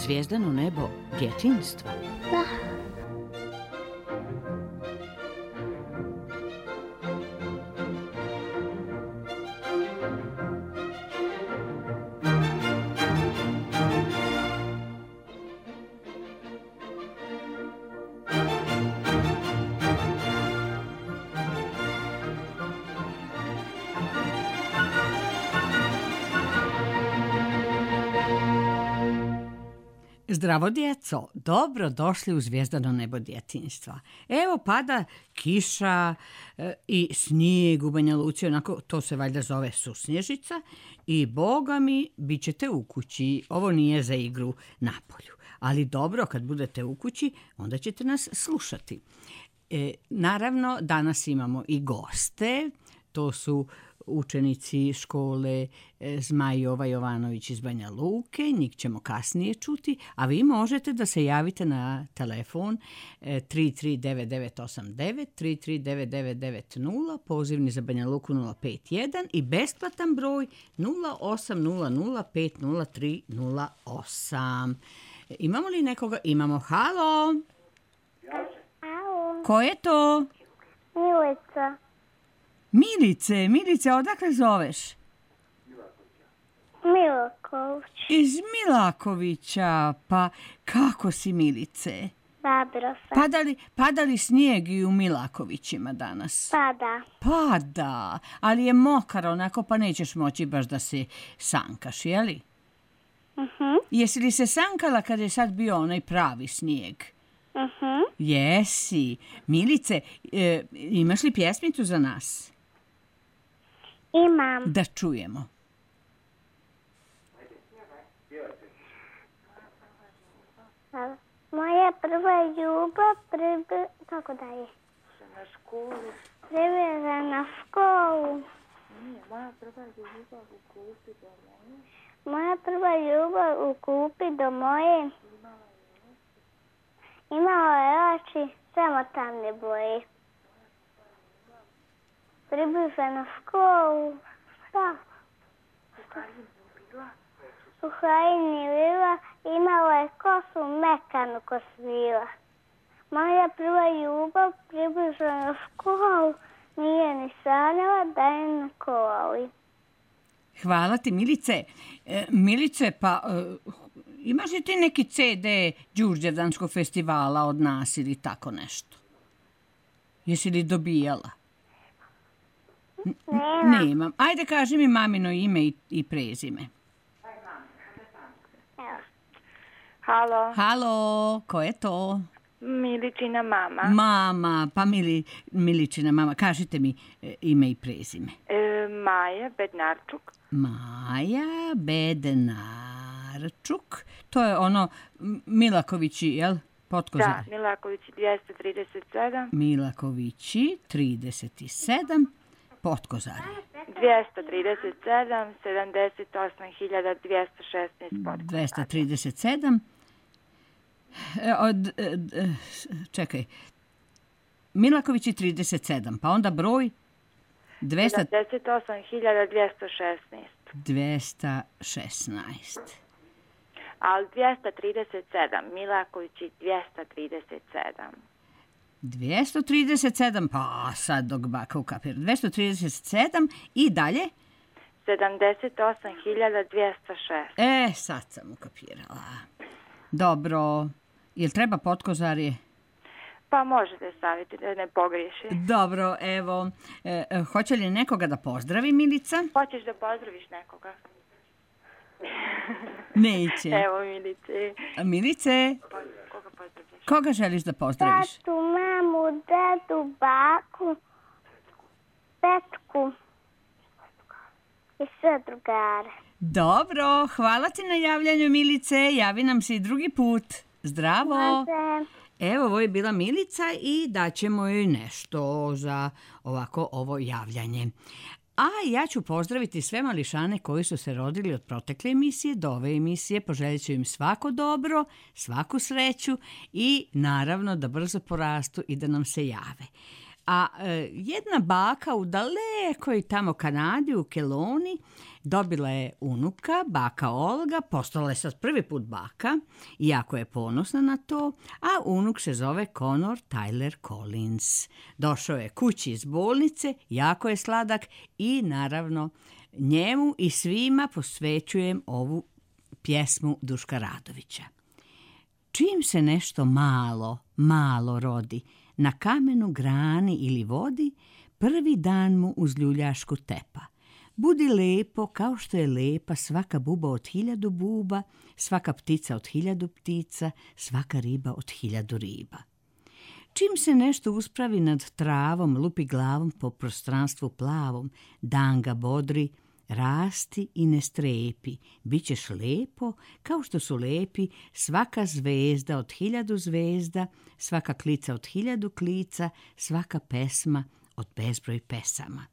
zvijezdano nebo djetinjstva. Da. Zdravo djeco, dobro došli u zvijezdano nebo djetinjstva. Evo pada kiša i snijeg u Banja Luci, onako to se valjda zove susnježica i boga mi bit ćete u kući, ovo nije za igru napolju. Ali dobro, kad budete u kući, onda ćete nas slušati. Naravno, danas imamo i goste, to su učenici škole Zmaj Jova Jovanović iz Banja Luke, njih ćemo kasnije čuti, a vi možete da se javite na telefon 339989, 339990, pozivni za Banja Luku 051 i besplatan broj 0800500308. Imamo li nekoga? Imamo. Halo? Halo. Ko je to? Milica. Milice, odakle zoveš? Milaković. Iz Milakovića, pa kako si Milice? Dobro sam. Pada li snijeg i u Milakovićima danas? Pada. Ali je mokar onako pa nećeš moći baš da se sankaš, jeli? Jesi li se sankala kad je sad bio onaj pravi snijeg? Jesi. Milice, imaš li pjesmicu za nas? Imam. Da čujemo. Moja prva ljubav kako dalje? Na školu. Priveza na školu. Moja prva ljubav u klupi do moje. Moja prva ljubav u klupi do moje. Imala je oči, samo tamne boje. Približa na školu. Šta? U Krajini bila, imala je kosu mekanu ko svila. Moja prva ljubav približa na školu, nije ni sanjala da je na koli. Hvala ti, Milice. Milice, pa imaš li ti neki CD Đurđevdanskog festivala od nas ili tako nešto? Jesi li dobijala? Nemam. Ajde, kaži mi mamino ime i prezime. Halo. Halo, ko je to? Miličina mama. Mama, pa Miličina mama. Kažite mi ime i prezime. Maja Bednarčuk. Maja Bednarčuk. To je ono Milakovići, jel? Potkozar. Da, Milakovići 237. Milakovići 37. Potkozar. 237, 78.216 Potkozar. 237. Čekaj. Milakovići 37, pa onda broj 78.216. 216. Ali 237, Milakovići 237. 237, pa sad dok baka ukapira. 237 i dalje? 78.206. Sad sam ukapirala. Dobro. Jel treba Potkozarje? Pa možete staviti da ne pogriješi. Dobro, evo. Hoće li nekoga da pozdravi, Milica? Hoćeš da pozdraviš nekoga? Neće. Evo, Milice. Milice? Koga pozdravljaš? Koga želiš da pozdraviš? Tatu, mamu, dedu, baku, Petku i sve drugare. Dobro, hvala ti na javljanju, Milice. Javi nam se i drugi put. Zdravo. Može. Evo, ovo je bila Milica i daćemo joj nešto za ovako ovo javljanje. A ja ću pozdraviti sve mališane koji su se rodili od protekle emisije do ove emisije. Poželjit ću im svako dobro, svaku sreću i naravno da brzo porastu i da nam se jave. A jedna baka u dalekoj tamo Kanadi, u Kelowni, dobila je unuka, baka Olga, postala je sad prvi put baka, jako je ponosna na to, a unuk se zove Connor Tyler Collins. Došao je kući iz bolnice, jako je sladak i naravno njemu i svima posvećujem ovu pjesmu Duška Radovića. Čim se nešto malo rodi, na kamenu, grani ili vodi, prvi dan mu uz ljuljašku tepa. Budi lepo kao što je lepa svaka buba od 1000 buba, svaka ptica od 1000 ptica, svaka riba od 1000 riba. Čim se nešto uspravi nad travom, lupi glavom po prostranstvu plavom, dan ga bodri, rasti i ne strepi, bit ćeš lepo kao što su lepi svaka zvezda od 1000 zvezda, svaka klica od 1000 klica, svaka pesma od bezbroj pesama.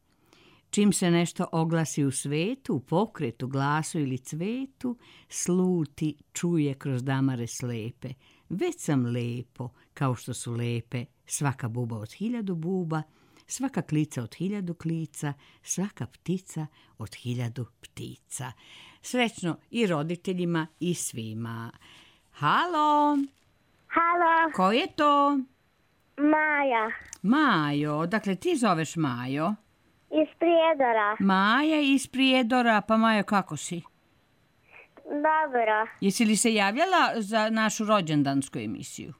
Čim se nešto oglasi u svetu, u pokretu, glasu ili cvetu, sluti, čuje kroz damare slepe. Već sam lepo, kao što su lepe svaka buba od 1000 buba, svaka klica od 1000 klica, svaka ptica od 1000 ptica. Srećno i roditeljima i svima. Halo? Halo, Ko je to? Maja, Majo, dakle ti zoveš Majo? iz Prijedora. Maja iz Prijedora, pa Majo kako si? Dobro, Jesi li se javljala za našu rođendansku emisiju?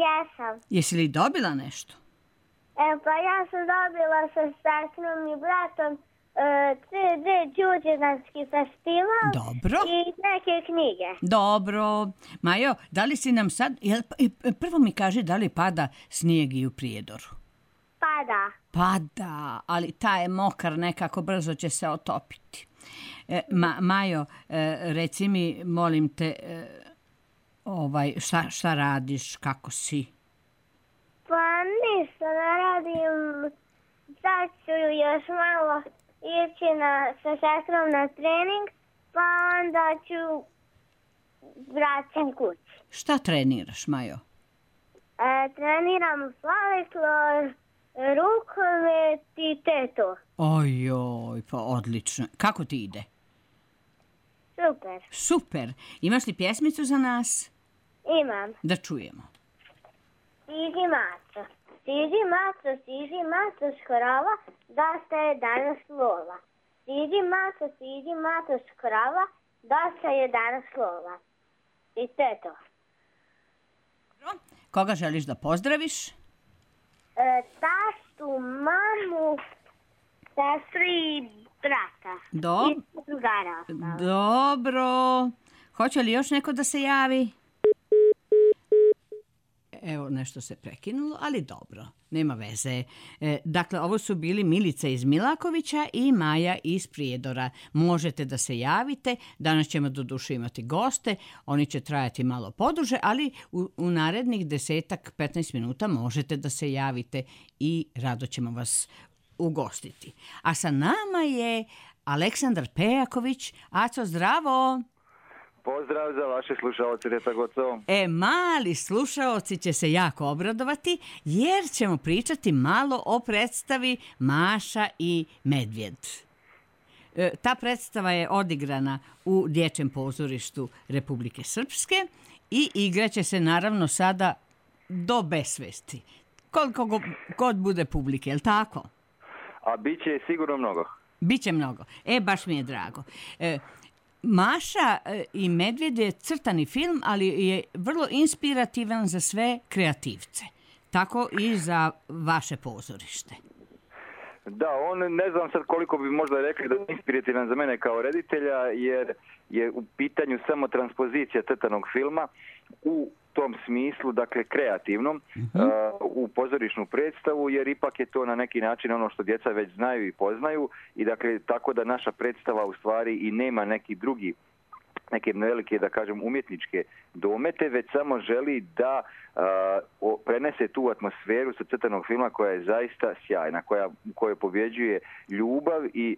jesam. Jesi li dobila nešto? Pa ja sam dobila sa sestrom i bratom CD Đurđevanski festival Dobro. i neke knjige. Dobro. Majo, da li si nam sad... Prvo mi kaži da li pada snijeg i u Prijedoru? Pada. Pada, ali taj je mokar, nekako brzo će se otopiti. Majo, reci mi, molim te, šta radiš, kako si? Pa ništa, ne radim. Sad ću još malo ići sa sestrom na trening, pa onda ću vraćam kući. Šta treniraš, Majo? Treniram folklor, rukomet i teto. Ojoj, pa odlično. Kako ti ide? Super. Super. Imaš li pjesmicu za nas? Imam. Da čujemo. Siđi maco. Siđi maco škorova, dosta je danas lova. Siđi maco škorova, dosta je danas lova. I to je to. Koga želiš da pozdraviš? Tastu, mamu, sestru i brata. I drugara. Dobro. Hoće li još neko da se javi? Evo, nešto se prekinulo, ali dobro, nema veze. Dakle, ovo su bili Milica iz Milakovića i Maja iz Prijedora. Možete da se javite, danas ćemo doduše imati goste, oni će trajati malo poduže, ali u narednih 10-15 minuta možete da se javite i rado ćemo vas ugostiti. A sa nama je Aleksandar Pejaković. Aco, zdravo! Pozdrav za vaše slušaoce, Reta Gocovo. Mali slušaoci će se jako obradovati jer ćemo pričati malo o predstavi Maša i Medvjed. Ta predstava je odigrana u Dječjem pozorištu Republike Srpske i igraće se naravno sada do besvesti. Koliko god bude publike, je li tako? A bit će sigurno mnogo. Biće mnogo. Baš mi je drago. Maša i Medvjed je crtani film, ali je vrlo inspirativan za sve kreativce. Tako i za vaše pozorište. Da, on ne znam sad koliko bi možda rekli da je inspirativan za mene kao reditelja, jer je u pitanju samo transpozicija crtanog filma u tom smislu, dakle kreativnom, u pozorišnu predstavu, jer ipak je to na neki način ono što djeca već znaju i poznaju i dakle tako da naša predstava u stvari i nema neki drugi neke velike, da kažem, umjetničke domete, već samo želi da prenese tu atmosferu sa crtanog filma koja je zaista sjajna, u kojoj pobjeđuje ljubav i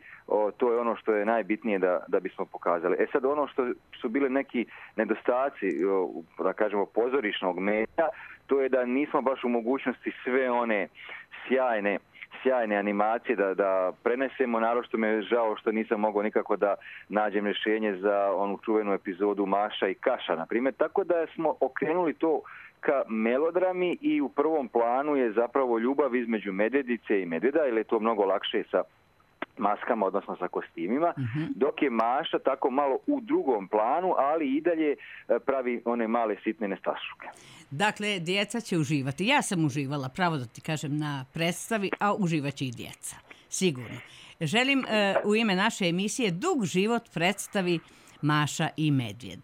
to je ono što je najbitnije da bismo pokazali. E sad, ono što su bile neki nedostaci, da kažemo, pozorišnog medija, to je da nismo baš u mogućnosti sve one sjajne animacije da prenesemo, naročito mi je žao što nisam mogao nikako da nađem rješenje za onu čuvenu epizodu Maša i Kaša, na primjer, tako da smo okrenuli to ka melodrami i u prvom planu je zapravo ljubav između medvjedice i medvjeda, jer je to mnogo lakše sa maskama, odnosno sa kostimima, dok je Maša tako malo u drugom planu, ali i dalje pravi one male sitne nestašuke. Dakle, djeca će uživati. Ja sam uživala, pravo da ti kažem, na predstavi, a uživat će i djeca. Sigurno. Želim u ime naše emisije dug život predstavi Maša i medvjed.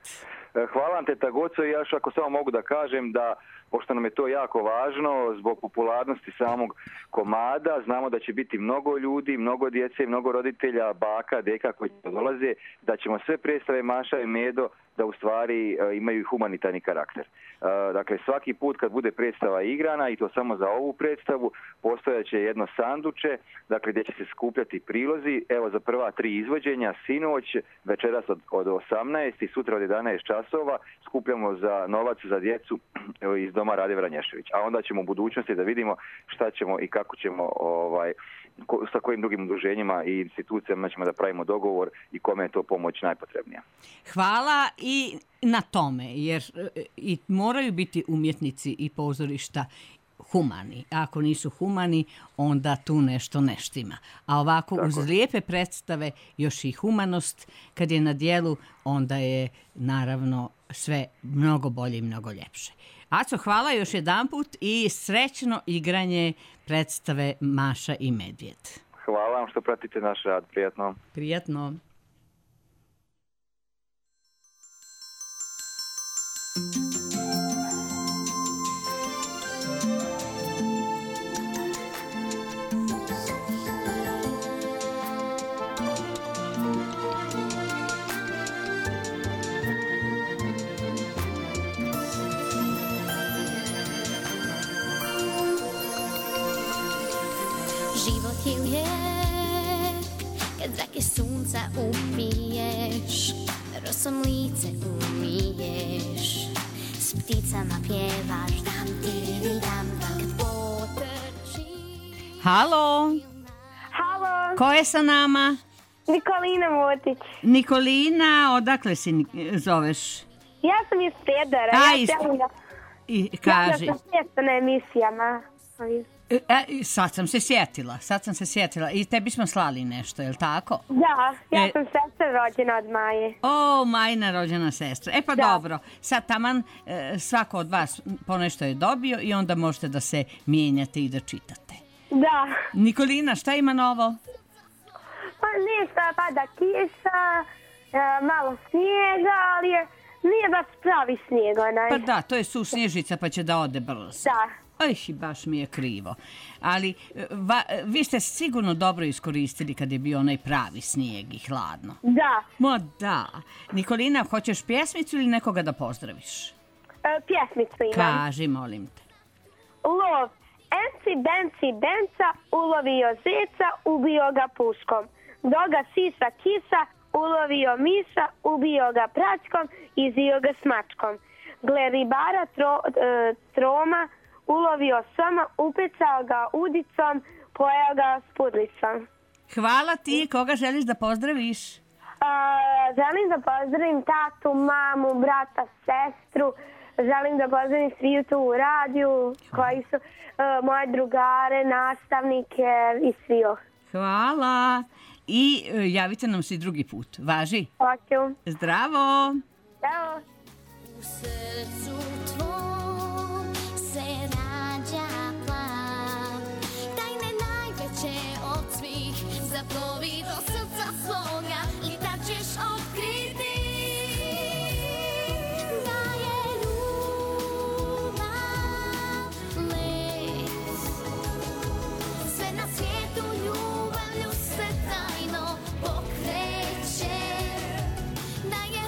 Hvala vam, teta Goco, i još ako samo mogu da kažem da, pošto nam je to jako važno, zbog popularnosti samog komada, znamo da će biti mnogo ljudi, mnogo djece, mnogo roditelja, baka, deka koji dolaze, da ćemo sve predstave Maša i Medo da u stvari imaju humanitarni karakter. Dakle, svaki put kad bude predstava igrana, i to samo za ovu predstavu, postojaće jedno sanduče, dakle, gdje će se skupljati prilozi. Evo, za prva 3 izvođenja, sinoć, večeras od 18 i sutra od 11 časova, skupljamo za novac za djecu iz Doma Rade Vranješević. A onda ćemo u budućnosti da vidimo šta ćemo i kako ćemo, sa kojim drugim udruženjima i institucijama ćemo da pravimo dogovor i kome je to pomoć najpotrebnija. Hvala i na tome, jer i moraju biti umjetnici i pozorišta humani. Ako nisu humani, onda tu nešto ne štima. A ovako, uz lijepe predstave, još i humanost, kad je na dijelu, onda je naravno sve mnogo bolje i mnogo ljepše. Aco, hvala još jedanput i srećno igranje predstave Maša i medvjed. Hvala vam što pratite naš rad. Prijatno. Prijatno. Život je lijep kad zrake sunca upiješ, rosom lice umiješ, s pticama pjevaš dam ti dam kad potrči. Halo, Halo, ko je sa nama? Nikolina Motić. Nikolina, odakle si zoveš? Ja sam iz Prijedora. I kaži. Ja sam često na emisijama. Sad sam se sjetila. I tebi smo slali nešto, je li tako? Da, ja sam sestra rođena od Maje. O, Majina rođena sestra. Pa da. Dobro, sad taman svako od vas ponešto je dobio i onda možete da se mijenjate i da čitate. Da. Nikolina, šta ima novo? Pa ništa, pada kiša, malo snijega, ali nije baš pravi snijeg onaj. Pa da, to je susnježica pa će da ode brzo. Da. Baš mi je krivo. Ali vi ste sigurno dobro iskoristili kad je bio onaj pravi snijeg i hladno. Da. Ma da. Nikolina, hoćeš pjesmicu ili nekoga da pozdraviš? Pjesmicu imam. Kaži, molim te. Lov. Enci, benci, benca, ulovio zeca, ubio ga puškom. Doga sisa kisa, ulovio miša, ubio ga pračkom, izio ga smačkom. Gle ribara troma, ulovio soma, upecao ga udicom, pojeo ga s pudlicom. Hvala ti. Koga želiš da pozdraviš? Želim da pozdravim tatu, mamu, brata, sestru. Želim da pozdravim svi tu u radiju, koji su moje drugare, nastavnike i svi. Hvala. I javite nam se drugi put. Važi? Hoću. Zdravo. Zdravo. U srcu tvom se rađa plan, tajne najveće od svih, zaplovi do srca svoga i tad ćeš otkriti da je ljubav let. Sve na svijetu ljubavlju se tajno pokreće, da je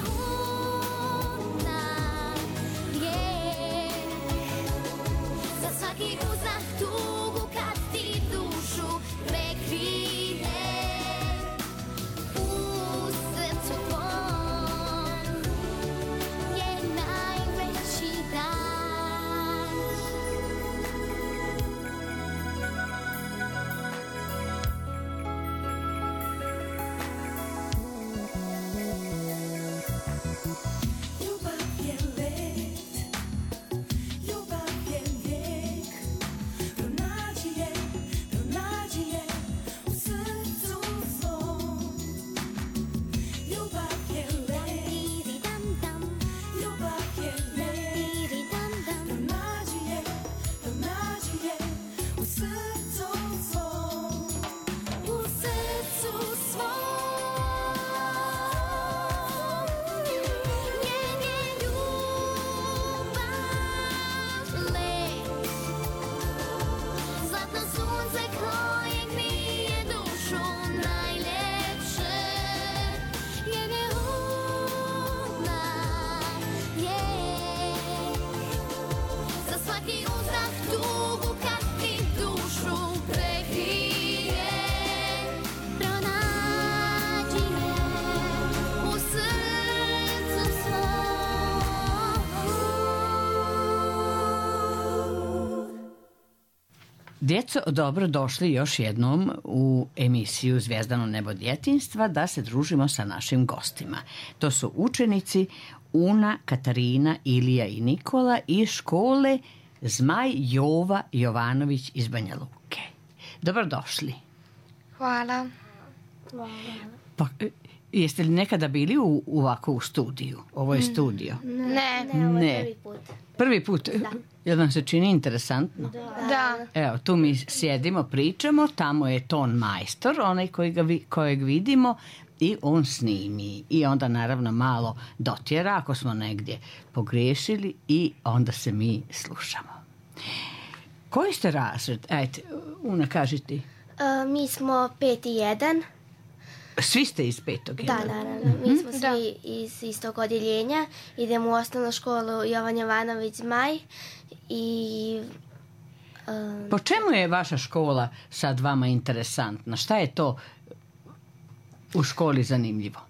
Djeco, dobro došli još jednom u emisiju Zvijezdano nebo djetinjstva da se družimo sa našim gostima. To su učenici Una, Katarina, Ilija i Nikola iz škole Zmaj Jova Jovanović iz Banja Luke. Dobrodošli. Hvala. Pa, jeste li nekada bili ovako u studiju? Ovo je studio. Ne. Ovo je prvi put. Prvi put? Jel vam se čini interesantno? Da. Evo, tu mi sjedimo, pričamo, tamo je ton majstor, onaj kojeg vidimo, i on snimi. I onda naravno malo dotjera ako smo negdje pogriješili i onda se mi slušamo. Koji ste razred? Ajde, Una, kaži ti. Mi smo 5.1. Svi ste iz 5. Da, naravno. Mi smo svi iz istog odjeljenja. Idemo u osnovnu školu Jovan Jovanović Zmaj i... Po čemu je vaša škola sad vama interesantna? Šta je to u školi zanimljivo?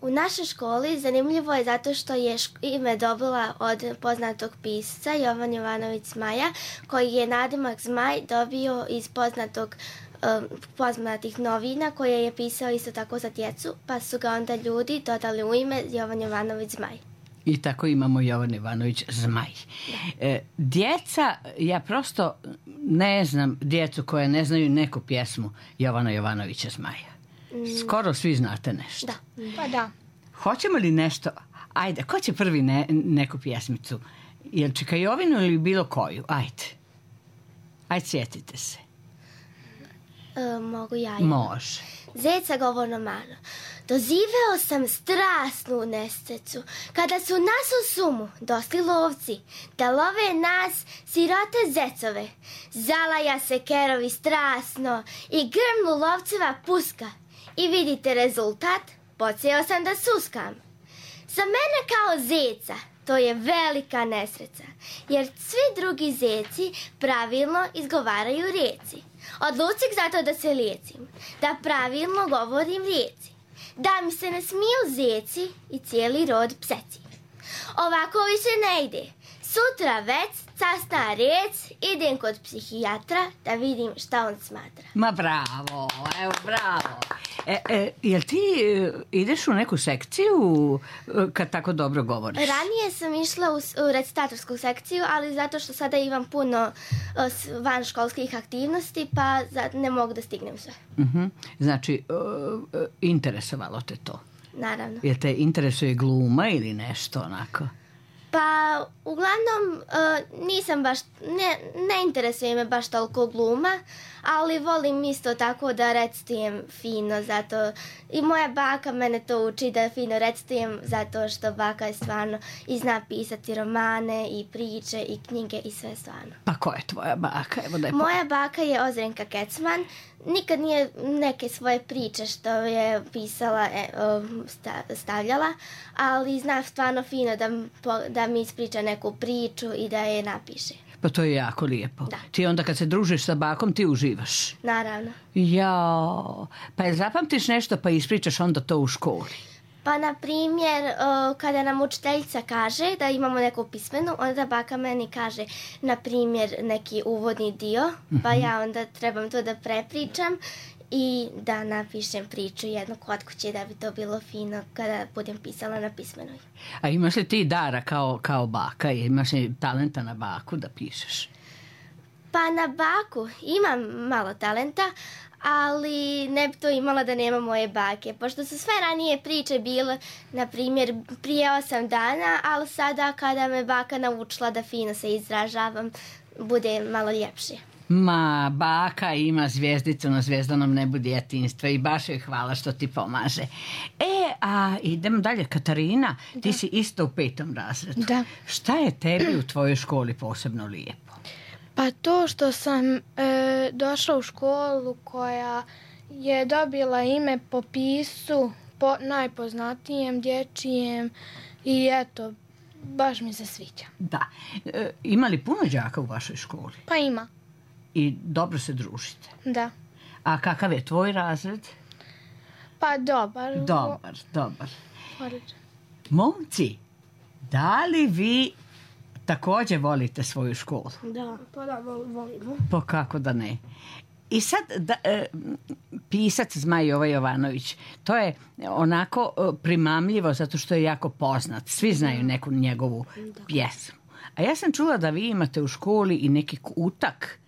U našoj školi zanimljivo je zato što je ime dobila od poznatog pisca Jovan Jovanović Zmaja, koji je nadimak Zmaj dobio iz poznatih novina koje je pisao isto tako za djecu, pa su ga onda ljudi dodali u ime Jovan Jovanović Zmaj. I tako imamo Jovan Jovanović Zmaj. Djeca, ja prosto ne znam djecu koje ne znaju neku pjesmu Jovana Jovanovića Zmaja. Skoro svi znate nešto. Da. Pa da. Hoćemo li nešto? Ajde, ko će prvi neku pjesmicu? Jel Čekajovinu ili bilo koju? Ajde, sjetite se. Mogu ja. Može. Zeca govorno malo. Doziveo sam strasnu nesreću, kada su nas u sumu došli lovci, da love nas, sirote zecove. Zalaja se kerovi strasno i grmlu lovceva puska. I vidite rezultat, počeo sam da suskam. Za mene kao zeca to je velika nesreća, jer svi drugi zeci pravilno izgovaraju rijeci. Odlučih zato da se lijecim, da pravilno govorim rijeci, da mi se ne smiju zeci i cijeli rod pseci. Ovako više ne ide. Sutra već, casna riječ, idem kod psihijatra da vidim šta on smatra. Ma bravo, evo bravo. Jel ti ideš u neku sekciju kad tako dobro govoriš? Ranije sam išla u recitatorsku sekciju, ali zato što sada imam puno vanškolskih aktivnosti, pa ne mogu da stignem sve. Znači, interesovalo te to? Naravno. Jel te interesuje gluma ili nešto onako? Pa, uglavnom, nisam baš, ne interesuje me baš toliko gluma, ali volim isto tako da recitujem fino, zato i moja baka mene to uči da fino recitujem, zato što baka je stvarno i zna pisati romane i priče i knjige i sve stvarno. Pa ko je tvoja baka? Evo da je Moja baka je Ozrenka Kecman, nikad nije neke svoje priče što je pisala stavljala, ali zna stvarno fino da mi ispriča neku priču i da je napiše. Pa to je jako lijepo. Da. Ti onda kad se družiš sa bakom ti uživaš. Naravno. Jao, pa je zapamtiš nešto pa ispričaš onda to u školi? Pa, na primjer, kada nam učiteljica kaže da imamo neku pismenu, onda baka meni kaže, na primjer, neki uvodni dio, pa ja onda trebam to da prepričam i da napišem priču jednu kod kuće da bi to bilo fino kada budem pisala na pismenoj. A imaš li ti dara kao baka? Imaš li talenta na baku da pišeš? Pa na baku imam malo talenta, ali ne bi to imala da nema moje bake, pošto su sve ranije priče bile, na primjer, prije 8 dana, ali sada kada me baka naučila da fino se izražavam, bude malo ljepše. Ma, baka ima zvijezdicu na zvijezdanom nebu djetinjstva i baš joj hvala što ti pomaže. A idemo dalje. Katarina, ti si isto u 5. razredu. Da. Šta je tebi u tvojoj školi posebno lijepo? Pa to što sam došla u školu koja je dobila ime po pisu, po najpoznatijem dječjem i eto, baš mi se sviđa. Da. Ima li puno đaka u vašoj školi? Pa ima. I dobro se družite? Da. A kakav je tvoj razred? Pa dobar. Dobar. Odlično. Momci, da li vi također volite svoju školu. Da, pa da, volimo. Pa kako da ne. I sad pisac Zmaj Jovo Jovanović, to je onako primamljivo zato što je jako poznat. Svi znaju neku njegovu pjesmu. A ja sam čula da vi imate u školi i neki kutak.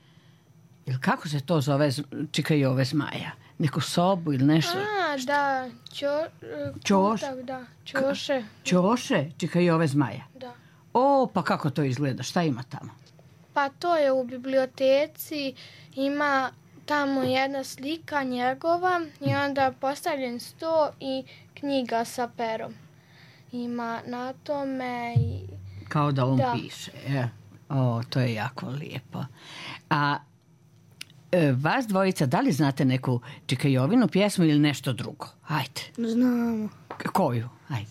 Ili kako se to zove, Čika Jove Zmaja? Neku sobu ili nešto? Da, Ćoš? kutak, da, ćoše. Ćoše, Čika Jove Zmaja. Da. O, pa kako to izgleda? Šta ima tamo? Pa to je u biblioteci, ima tamo jedna slika njegova i onda postavljen sto i knjiga sa perom. Ima na tome i... Kao da on piše. O, to je jako lijepo. A vas dvojica, da li znate neku Čika Jovinu pjesmu ili nešto drugo? Ajde. Znamo. Koju? Ajde.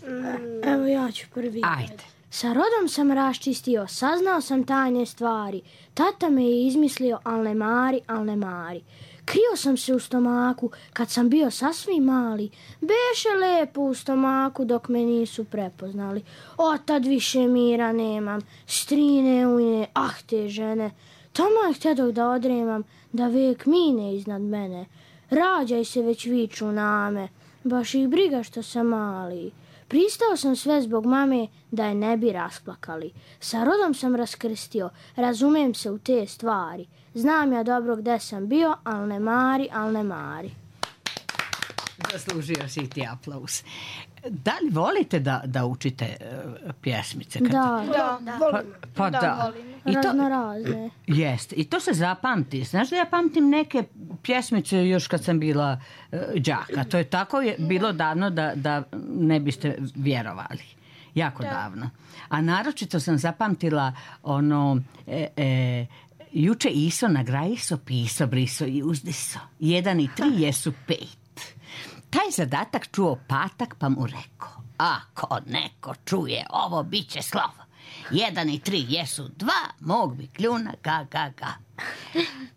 Evo ja ću prvi. Ajde. Sa rodom sam raščistio, saznao sam tajne stvari. Tata me je izmislio, al ne mari. Krio sam se u stomaku kad sam bio sasvim mali. Beše lepo u stomaku dok me nisu prepoznali. Otad više mira nemam, strine ujne, te žene. Taman htjedok da odremam, da vek mine iznad mene. Rađaj se već viču name, baš ih briga što sam mali. Pristao sam sve zbog mame da je ne bi rasplakali. Sa rodom sam raskrstio, razumem se u te stvari. Znam ja dobro gde sam bio, al ne mari. Zaslužio si ti aplauz. Da li volite da učite pjesmice? Da, Pa da. raznorazne. Jeste. I to se zapamti. Znaš da ja pamtim neke pjesmice još kad sam bila đaka. To je tako bilo davno da ne biste vjerovali. Jako davno. A naročito sam zapamtila ono... juče iso nagrajiso, piso, briso i uzdiso. 1 i 3 jesu 5. Taj zadatak čuo patak pa mu rekao: ako neko čuje ovo, bit će slovo. 1 i 3 jesu 2, mog bi kljuna ga.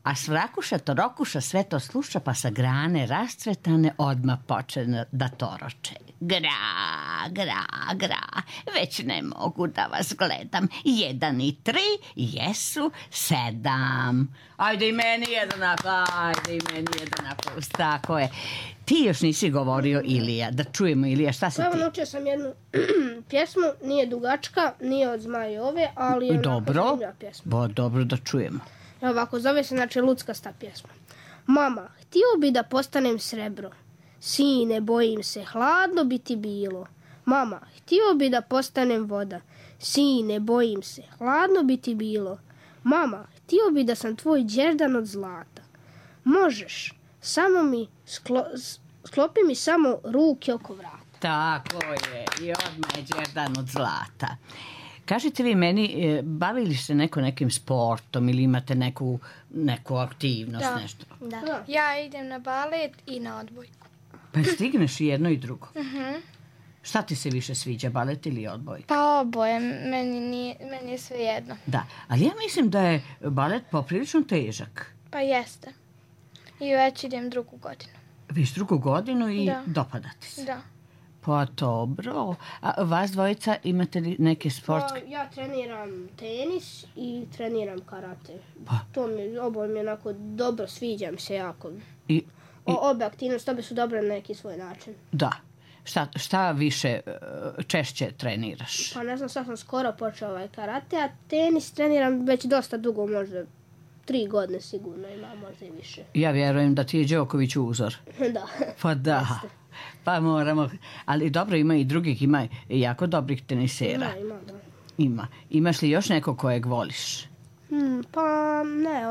A svrakuša torokuša sve to sluša, pa sa grane rascvetane odmah počne da toroče. Gra, već ne mogu da vas gledam. 1 i 3 jesu 7. Ajde i meni jedan aplauz, tako je. Ti još nisi govorio, Ilija, da čujemo, Ilija, šta si Evo, ti? naučio sam jednu pjesmu, nije dugačka, nije od Zmaja Jove, ali je onako zanimljiva pjesma. Dobro da čujemo. Evo ovako, zove se znači luckasta pjesma. Mama, htio bi da postanem srebro. Sine, bojim se, hladno bi ti bilo. Mama, htio bi da postanem voda. Sine, bojim se, hladno bi ti bilo. Mama, htio bi da sam tvoj đerdan od zlata. Možeš, samo mi sklopi mi samo ruke oko vrata. Tako je, i odmah je đerdan od zlata. Kažite vi meni, bavili se nekim sportom ili imate neku aktivnost, nešto? Da. Ja idem na balet i na odbojku. Pa stigneš i jedno i drugo? Šta ti se više sviđa, balet ili odbojka? Pa oboje, meni je sve jedno. Da, ali ja mislim da je balet poprilično težak. Pa jeste. I već idem 2. godinu. Viš 2. godinu i dopada ti se? Da. Pa dobro. A vas dvojica imate li neke sportske? Pa, ja treniram tenis i treniram karate. Pa. Oboje mi onako dobro, sviđam se jako. I Obe aktivnosti, obe su dobre na neki svoj način. da. Šta više češće treniraš? Pa ne znam, sad sam skoro počeo karate, a tenis treniram već dosta dugo, možda 3 godine sigurno ima, možda i više. Ja vjerujem da ti je Đoković uzor. Da. Pa da. Pa moramo. Ali dobro, ima i drugih, ima jako dobrih tenisera. Ima. Imaš li još nekog kojeg voliš? Pa ne,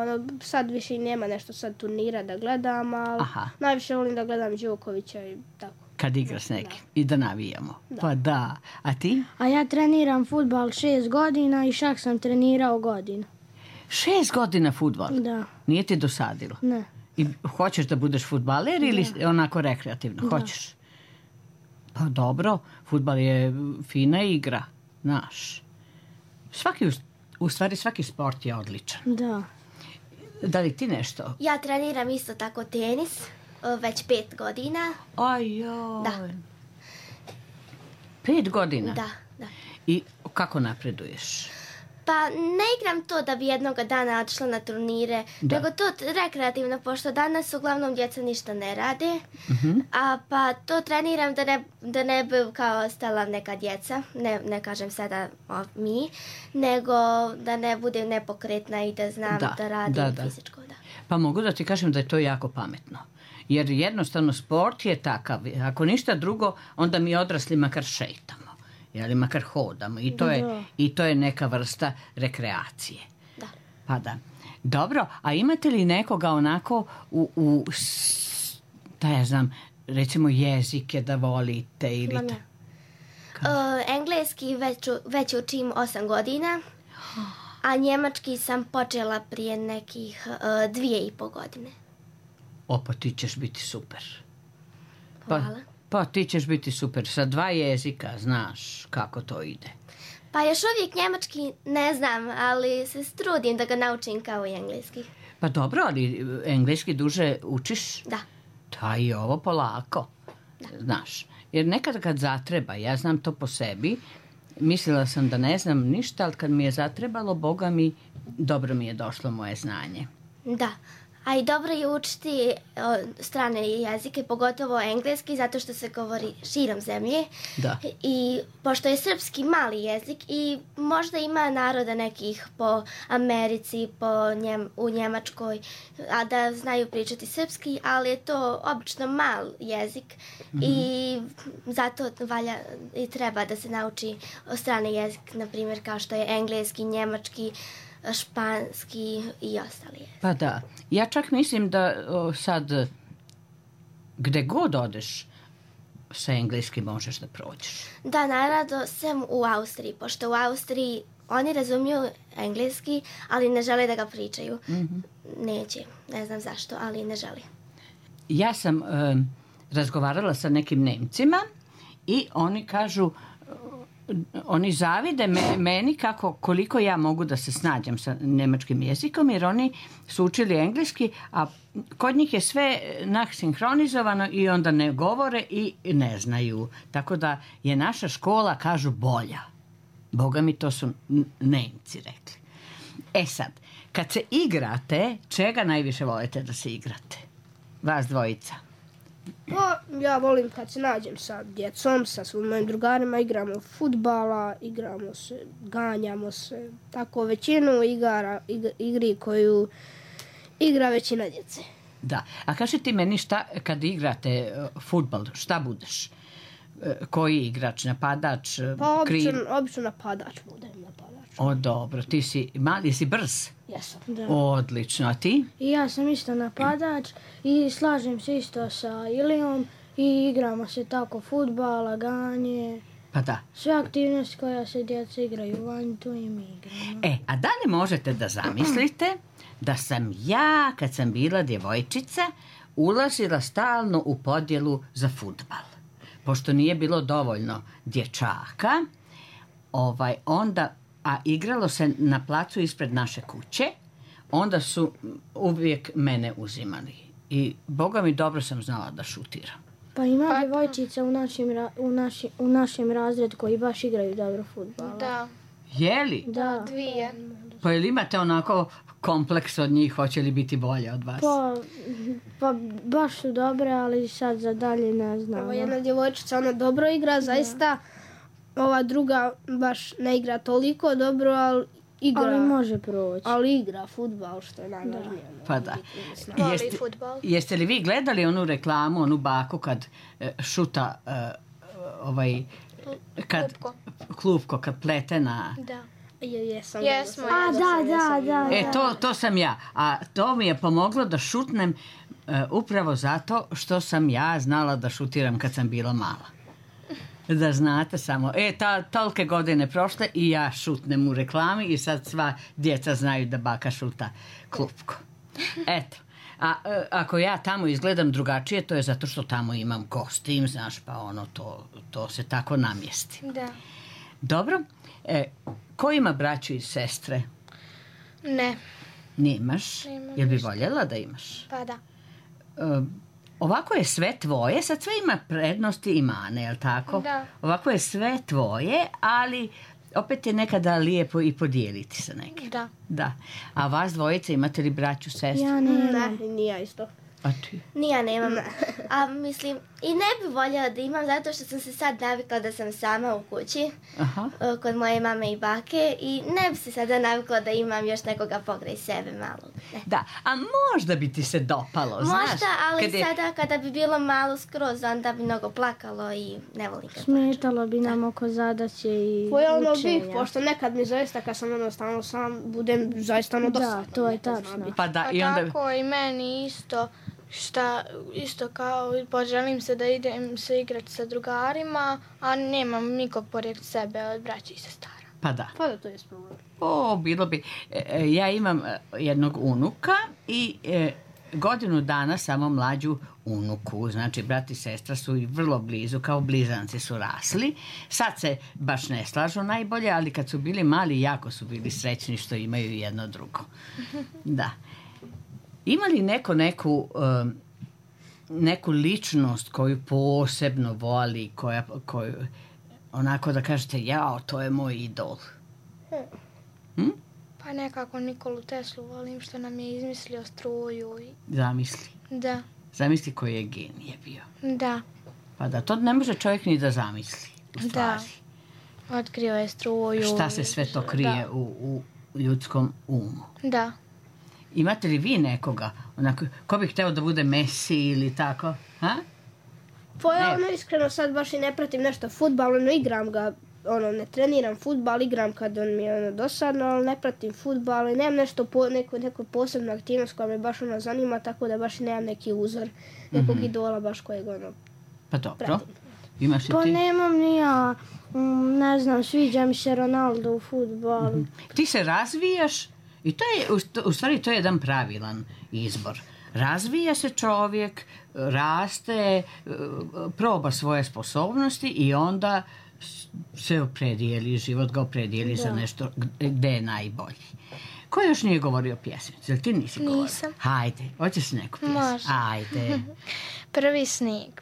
sad više i nema nešto sad turnira da gledam, ali najviše volim da gledam Đokovića i tako. Kad igra s nekim i da navijamo. Pa da. A ti? A ja treniram fudbal 6 godina i šah sam trenirao godinu. 6 godina fudbal? Da. Nije ti dosadilo? Ne. I hoćeš da budeš fudbaler ili onako rekreativno? Hoćeš? Pa dobro, fudbal je fina igra, znaš. Svaki sport je odličan. Da. Da li ti nešto? Ja treniram isto tako tenis, već 5 godina. Ajoj. Da. 5 godina? Da. I kako napreduješ? Pa ne igram to da bi jednoga dana otišla na turnire, nego to rekreativno, pošto danas uglavnom djeca ništa ne rade, a pa to treniram da ne bi kao ostala neka djeca, ne kažem sada mi, nego da ne budem nepokretna i da znam da radim fizičko. Da. Pa mogu da ti kažem da je to jako pametno. Jer jednostavno sport je takav. Ako ništa drugo, onda mi odrasli makar šetamo. Jeli, makar hodamo. I to je neka vrsta rekreacije. Da. Pa da. Dobro, a imate li nekoga onako da ja znam, recimo jezike da volite ili Engleski već učim 8 godina, a njemački sam počela prije nekih 2,5 godine. Pa ti ćeš biti super. Hvala. Pa ti ćeš biti super. Sa 2 jezika znaš kako to ide. Pa još uvijek njemački ne znam, ali se trudim da ga naučim kao i engleski. Pa dobro, ali engleski duže učiš? Da. Da, i ovo polako. Da. Znaš, jer nekad kad zatreba, ja znam to po sebi, mislila sam da ne znam ništa, ali kad mi je zatrebalo, Boga mi, dobro mi je došlo moje znanje. Da. A i dobro je učiti strane jezike, pogotovo engleski, zato što se govori širom zemlje. Da. I pošto je srpski mali jezik i možda ima naroda nekih po Americi, u Njemačkoj, a da znaju pričati srpski, ali je to obično mal jezik i zato valja i treba da se nauči strane jezik, na primjer kao što je engleski, njemački, španski i ostali. Pa da, ja čak mislim da sad gde god odeš sa engleskim možeš da prođeš. Da, naravno, sem u Austriji, pošto u Austriji oni razumiju engleski, ali ne žele da ga pričaju. Neće, ne znam zašto, ali ne žele. Ja sam razgovarala sa nekim Nemcima i oni kažu, oni zavide meni koliko ja mogu da se snađam sa njemačkim jezikom, jer oni su učili engleski, a kod njih je sve sinhronizovano i onda ne govore i ne znaju. Tako da je naša škola, kažu, bolja. Boga mi, to su Nemci rekli. E sad, kad se igrate, čega najviše volite da se igrate? Vas dvojica. Pa, ja volim kad se nađem sa djecom, sa svojim mojim drugarima, igramo fudbala, igramo se, ganjamo se, tako većinu igri koju igra većina djece. Da, a kaži ti meni šta, kad igrate fudbal, šta budeš? Koji igrač, napadač, pa, kriv? obično napadač budem, napadač. O, dobro, ti si mali, si brz? Jesam. Da. Odlično, a ti? I ja sam isto napadač i slažem se isto sa Ilijom i igramo se tako fudbal, laganje. Pa da. Sve aktivnosti koja se djeca igraju van, tu i mi igramo. A da li možete da zamislite da sam ja, kad sam bila djevojčica, ulazila stalno u podjelu za fudbal? Pošto nije bilo dovoljno dječaka, onda, a igralo se na placu ispred naše kuće, onda su uvijek mene uzimali. I Boga mi, dobro sam znala da šutiram. Pa ima djevojčica u našem razredu koji baš igraju dobro fudbala. Da. Je li? Da. 2. Pa ili imate onako kompleks od njih, hoće li biti bolje od vas? Pa baš su dobre, ali sad za dalje ne znam. Ova jedna djevojčica, ona dobro igra, zaista. Ova druga baš ne igra toliko dobro, ali igra. Ali može proći. Ali igra fudbal, što je najvažnije. Pa da. Voli fudbal. Jeste li vi gledali onu reklamu, onu baku kad šuta klupko kad plete na... Da. Jesmo. Da. To sam ja. A to mi je pomoglo da šutnem upravo zato što sam ja znala da šutiram kad sam bila mala. Da znate samo. Tolike godine prošle i ja šutnem u reklami i sad sva djeca znaju da baka šuta klupko. Eto. A ako ja tamo izgledam drugačije, to je zato što tamo imam kostim, znaš, pa to se tako namjesti. Da. Dobro. Ko ima braću i sestre? Ne. Nemaš? Jel bi voljela da imaš? Pa da. Ovako je sve tvoje, sad sve ima prednosti i mane, jel tako? Da. Ovako je sve tvoje, ali opet je nekada lijepo i podijeliti sa nekim. Da. Da. A vas dvojice imate li braću, sestru? Ja nemam. Ne, ni ja isto. A ti? Ni ja nemam. A mislim, i ne bi voljela da imam zato što sam se sad navikla da sam sama u kući Aha. kod moje mame i bake i ne bi se sada navikla da imam još nekoga pokraj sebe malo. Ne. Da, a možda bi ti se dopalo, znaš? Možda, ali kad je- sada kada bi bilo malo skroz, onda bi mnogo plakalo i ne volim kad Smetalo bi nam oko zadaće i Po ono bih, učenja. pošto nekad mi zaista kad sam jednostavno sam, budem zaista dosadno. Da, to je tačno. Pa da, A i onda... tako i meni isto, isto kao poželim se da idem se igrati sa drugarima, a nemam nikog pored sebe od braća i sestara. Pa da. Pa da, to je problem. O, bilo bi. Ja imam jednog unuka i godinu dana samo mlađu unuku. Znači, brat i sestra su i vrlo blizu, kao blizanci su rasli. Sad se baš ne slažu najbolje, ali kad su bili mali, jako su bili srećni što imaju jedno drugo. Da. Ima li neku ličnost koju posebno voli, koju onako da kažete, jao, to je moj idol? Pa nekako Nikolu Teslu volim što nam je izmislio struju. Zamisli. Da, Zamisli koji je genije bio. da, Pa da, to ne može čovjek ni da zamisli, u stvari. otkrio je struju. Šta se sve to krije u ljudskom umu. Da. Imate li vi nekoga, onako, ko bi hteo da bude Messi ili tako? Ha? Pa ja iskreno sad baš i ne pratim nešto fudbal, igram ga, ne treniram fudbal, igram kad on mi je dosadno, ali ne pratim fudbal i nemam nešto, neku posebnu aktivnost koja me baš zanima, tako da baš i nemam neki uzor, nekog idola baš kojeg Pa dobro. pratim. Imaš i Pa ti? nemam ni ja. Ne znam, sviđa mi se Ronaldo u fudbalu. Ti se razvijaš i to je, u stvari to je jedan pravilan izbor. Razvija se čovjek, raste, proba svoje sposobnosti i onda se opredijeli, život ga opredijeli za nešto gde je najbolji. Ko još nije govorio pjesmicu? Jel ti nisi govorio? Nisam. Hajde, hoćeš neku pjesmu? Može. Ajde. Prvi snijeg.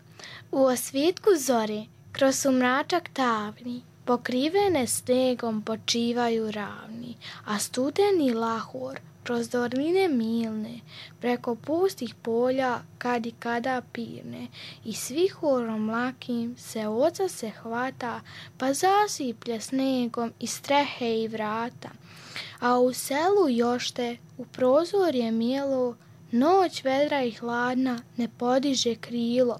U osvitku zori, kroz sumračak tavni, pokrivene snegom počivaju ravni, a studeni lahor kroz doline milne, preko pustih polja kad i kada pirne, i svi horom lakim se oca se hvata, pa zasiplje snegom i strehe i vrata. A u selu jošte, u prozorje mijelo, noć vedra i hladna ne podiže krilo.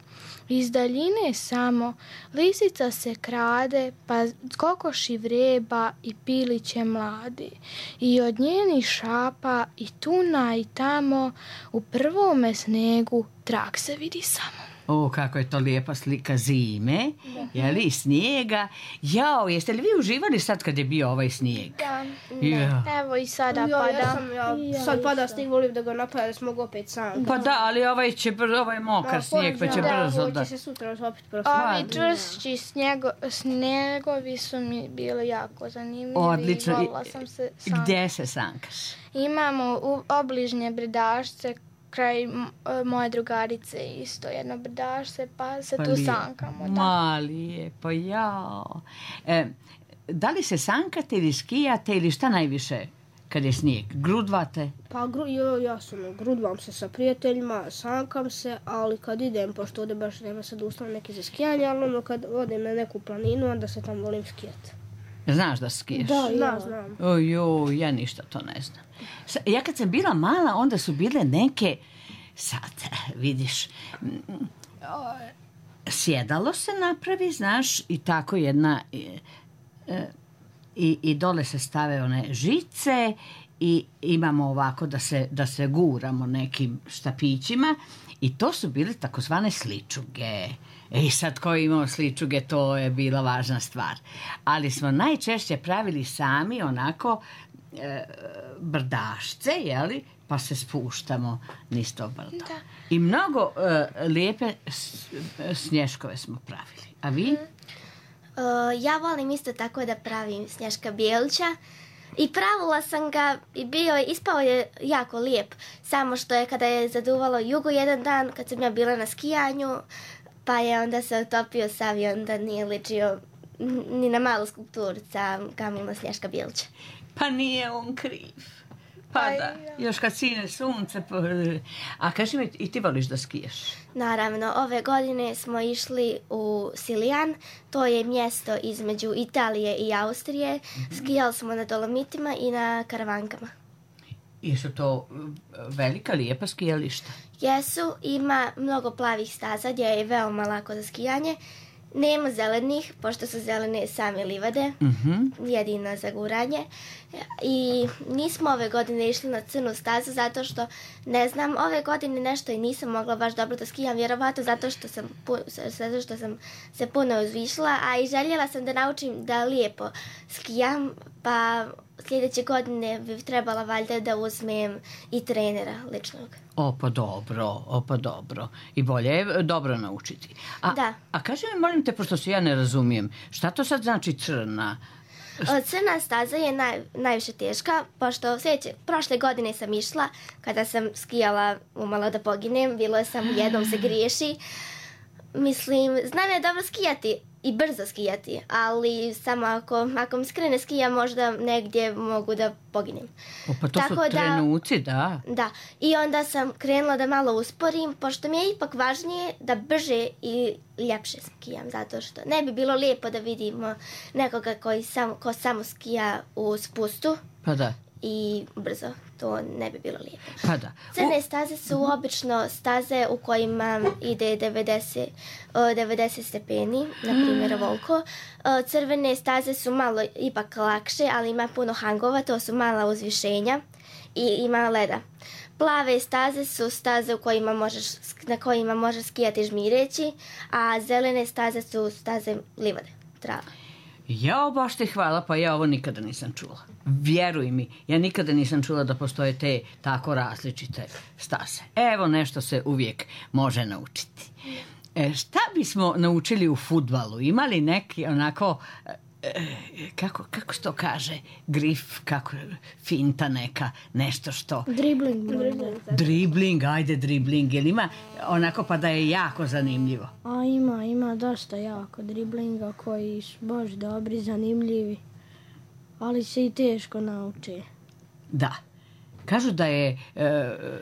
Iz daljine samo lisica se krade, pa kokoši vreba i piliće mlade. I od njenih šapa i tuna i tamo u prvome snegu trag se vidi samo. O, kako je to lijepa slika zime, jeli, snijega. Jao, jeste li vi uživali sad kad je bio ovaj snijeg? Da, Ja. evo i sada Ja pada. sad pada snijeg, volim da ga napada da se mogu opet sam. Pa da, ali ovaj je mokar snijeg, pa će brzo Ovo da... će se sutra opet prositi. Ovi čvršći snjegovi su mi bili jako zanimljivi. Odlično. I volila sam se sam. Gdje se sankaš? Imamo u obližnje brdašce kraj moje drugarice isto jedno brdašce, pa se tu sankamo. Da. Ma lijepo, jao. Da li se sankate ili skijate ili šta najviše kad je snijeg? Grudvate? Pa ja sam grudvam se sa prijateljima, sankam se, ali kad idem, pošto ovdje baš nema sad ustav neki za skijanje, ali kad odem na neku planinu, onda se tam volim skijati. Znaš da skiješ? Da, znam. Ojoj, ja ništa to ne znam. Ja kad sam bila mala, onda su bile neke, sad vidiš, sjedalo se napravi, znaš, i tako jedna, i dole se stave one žice i imamo ovako da se guramo nekim štapićima i to su bile takozvane sličuge. I sad ko je imao sličuge, to je bila važna stvar. Ali smo najčešće pravili sami onako brdašce, jeli? Pa se spuštamo niz to brdo. Da. I mnogo lijepe snješkove smo pravili. A vi? Ja volim isto tako da pravim Snješka Bijelića. I pravila sam ga i ispao je jako lijep. Samo što je kada je zaduvalo jugo jedan dan, kad sam ja bila na skijanju, pa je onda se otopio sav i onda nije ličio ni na malu skulpturica Kamila Snješka Bilića. Pa nije on kriv. Pa da, još kad sine sunce. A kaži mi, i ti voliš da skijaš? Naravno, ove godine smo išli u Silijan, to je mjesto između Italije i Austrije. Skijali smo na Dolomitima i na Karavankama. Jesu to velika, lijepa skijališta? Jesu, ima mnogo plavih staza gdje je veoma lako za skijanje. Nema zelenih, pošto su zelene same livade, jedino za guranje. I nismo ove godine išli na crnu stazu zato što, ne znam, ove godine nešto i nisam mogla baš dobro da skijam, vjerovatno zato što sam se puno uzvišila, a i željela sam da naučim da lijepo skijam, pa sljedeće godine bi trebala valjda da uzmem i trenera ličnog. O, pa dobro. I bolje je dobro naučiti. Da. A kaži mi, molim te, pošto se ja ne razumijem, šta to sad znači crna? Crna staza je najviše teška, pošto prošle godine sam išla, kada sam skijala umalo da poginem, bilo je samo jednom se griješi. Mislim, znam je dobro skijati i brzo skijati, ali samo ako mi skrene skija, možda negdje mogu da poginem. Pa to su trenuci, da. Da, i onda sam krenula da malo usporim, pošto mi je ipak važnije da brže i ljepše skijam, zato što ne bi bilo lijepo da vidimo nekoga ko samo skija u spustu. Pa da. I brzo, to ne bi bilo lijepo. Pa da. Crne staze su obično staze u kojima ide 90 stepeni, na primjer ovoliko. Crvene staze su malo ipak lakše, ali ima puno hangova, to su mala uzvišenja i ima leda. Plave staze su staze na kojima možeš skijati žmireći, a zelene staze su staze livade, trava. Jao, baš ti hvala, pa ja ovo nikada nisam čula. Vjeruj mi, ja nikada nisam čula da postoje te tako različite staze. Evo, nešto se uvijek može naučiti. Šta bismo naučili u fudbalu? Imali neki onako, kako se to kaže, grif, finta neka, nešto što... Dribling, ajde dribling. Jel ima onako pa da je jako zanimljivo? A ima dosta jako driblinga koji su baš dobri, zanimljivi, ali se i teško nauči. Da. Kažu da je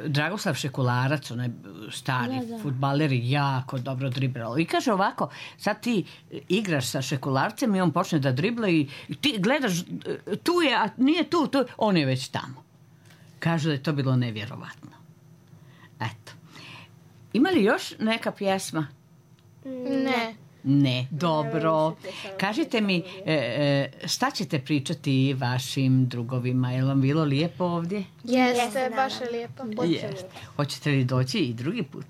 Dragoslav Šekularac, onaj stari fudbaler, jako dobro driblao. I kaže ovako, sad ti igraš sa Šekularcem i on počne da dribla i ti gledaš, tu je, a nije tu, on je već tamo. Kažu da je to bilo nevjerovatno. Eto. Ima li još neka pjesma? Ne, dobro. Kažite mi, šta ćete pričati vašim drugovima? Je li vam bilo lijepo ovdje? Jeste, baš je lijepo. Hoćete li doći i drugi put?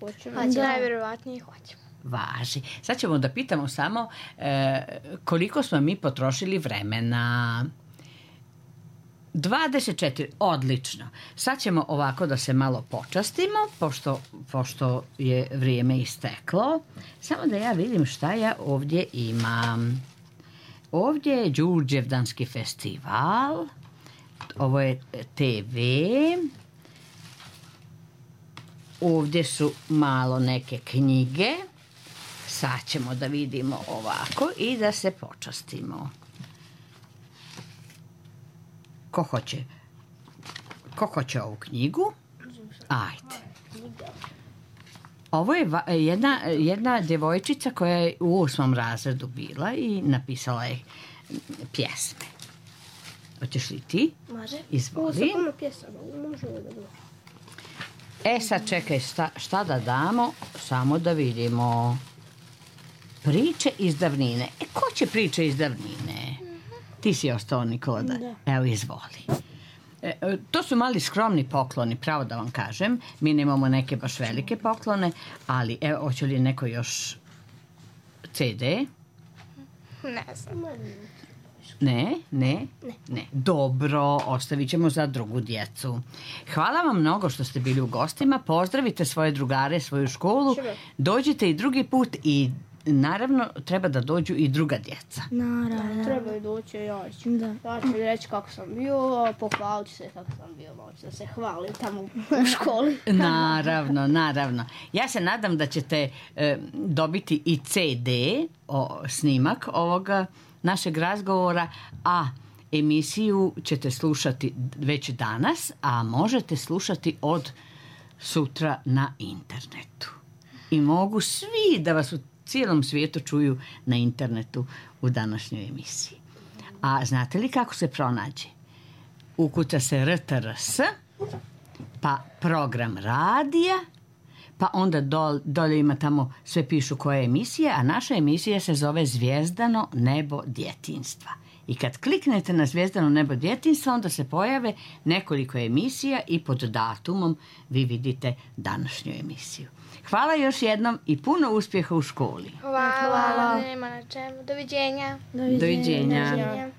Najvjerovatnije hoćemo. Važi. Sad ćemo da pitamo samo koliko smo mi potrošili vremena. 24, odlično. Sad ćemo ovako da se malo počastimo, pošto je vrijeme isteklo. Samo da ja vidim šta ja ovdje imam. Ovdje je Đurđevdanski festival. Ovo je TV. Ovdje su malo neke knjige. Sad ćemo da vidimo ovako i da se počastimo. Ko hoće ovu knjigu? Ajde. Ovo je jedna djevojčica koja je u 8. razredu bila i napisala je pjesme. Hoćeš li ti? Može. Izvoli. Sad čekaj, šta da damo? Samo da vidimo. Priče iz davnine. Ko će priče iz davnine? Ti si ostao, Nikola, da? Evo, izvoli. To su mali skromni pokloni, pravo da vam kažem. Mi nemamo neke baš velike poklone, ali evo, hoće li neko još CD? Ne znam. Ne. Dobro, ostavit ćemo za drugu djecu. Hvala vam mnogo što ste bili u gostima. Pozdravite svoje drugare, svoju školu. Dođite i drugi put i naravno treba da dođu i druga djeca. Naravno. Treba i doći, ja ću reći kako sam bio, pohvaliti se kako sam bio, da se hvalim tamo u školi. Naravno. Ja se nadam da ćete dobiti i CD, snimak ovoga našeg razgovora, a emisiju ćete slušati već danas, a možete slušati od sutra na internetu. I mogu svi da vas u cijelom svijetu čuju na internetu u današnjoj emisiji. A znate li kako se pronađe? Ukuca se RTRS, pa program radija, pa onda dolje ima tamo, sve pišu koja je emisija, a naša emisija se zove Zvijezdano nebo djetinjstva. I kad kliknete na Zvijezdano nebo djetinjstva, onda se pojave nekoliko emisija i pod datumom vi vidite današnju emisiju. Hvala još jednom i puno uspjeha u školi. Hvala. Nema na čemu. Doviđenja. Doviđenja.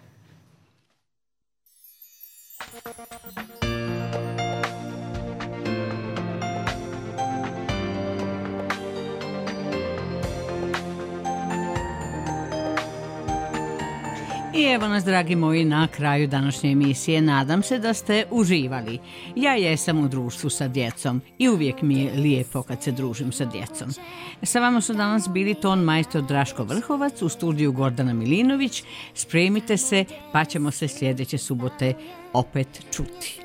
I evo nas, dragi moji, na kraju današnje emisije. Nadam se da ste uživali. Ja jesam u društvu sa djecom i uvijek mi je lijepo kad se družim sa djecom. Sa vama su danas bili ton majstor Draško Vrhovac, u studiju Gordana Milinović. Spremite se, pa ćemo se sljedeće subote opet čuti.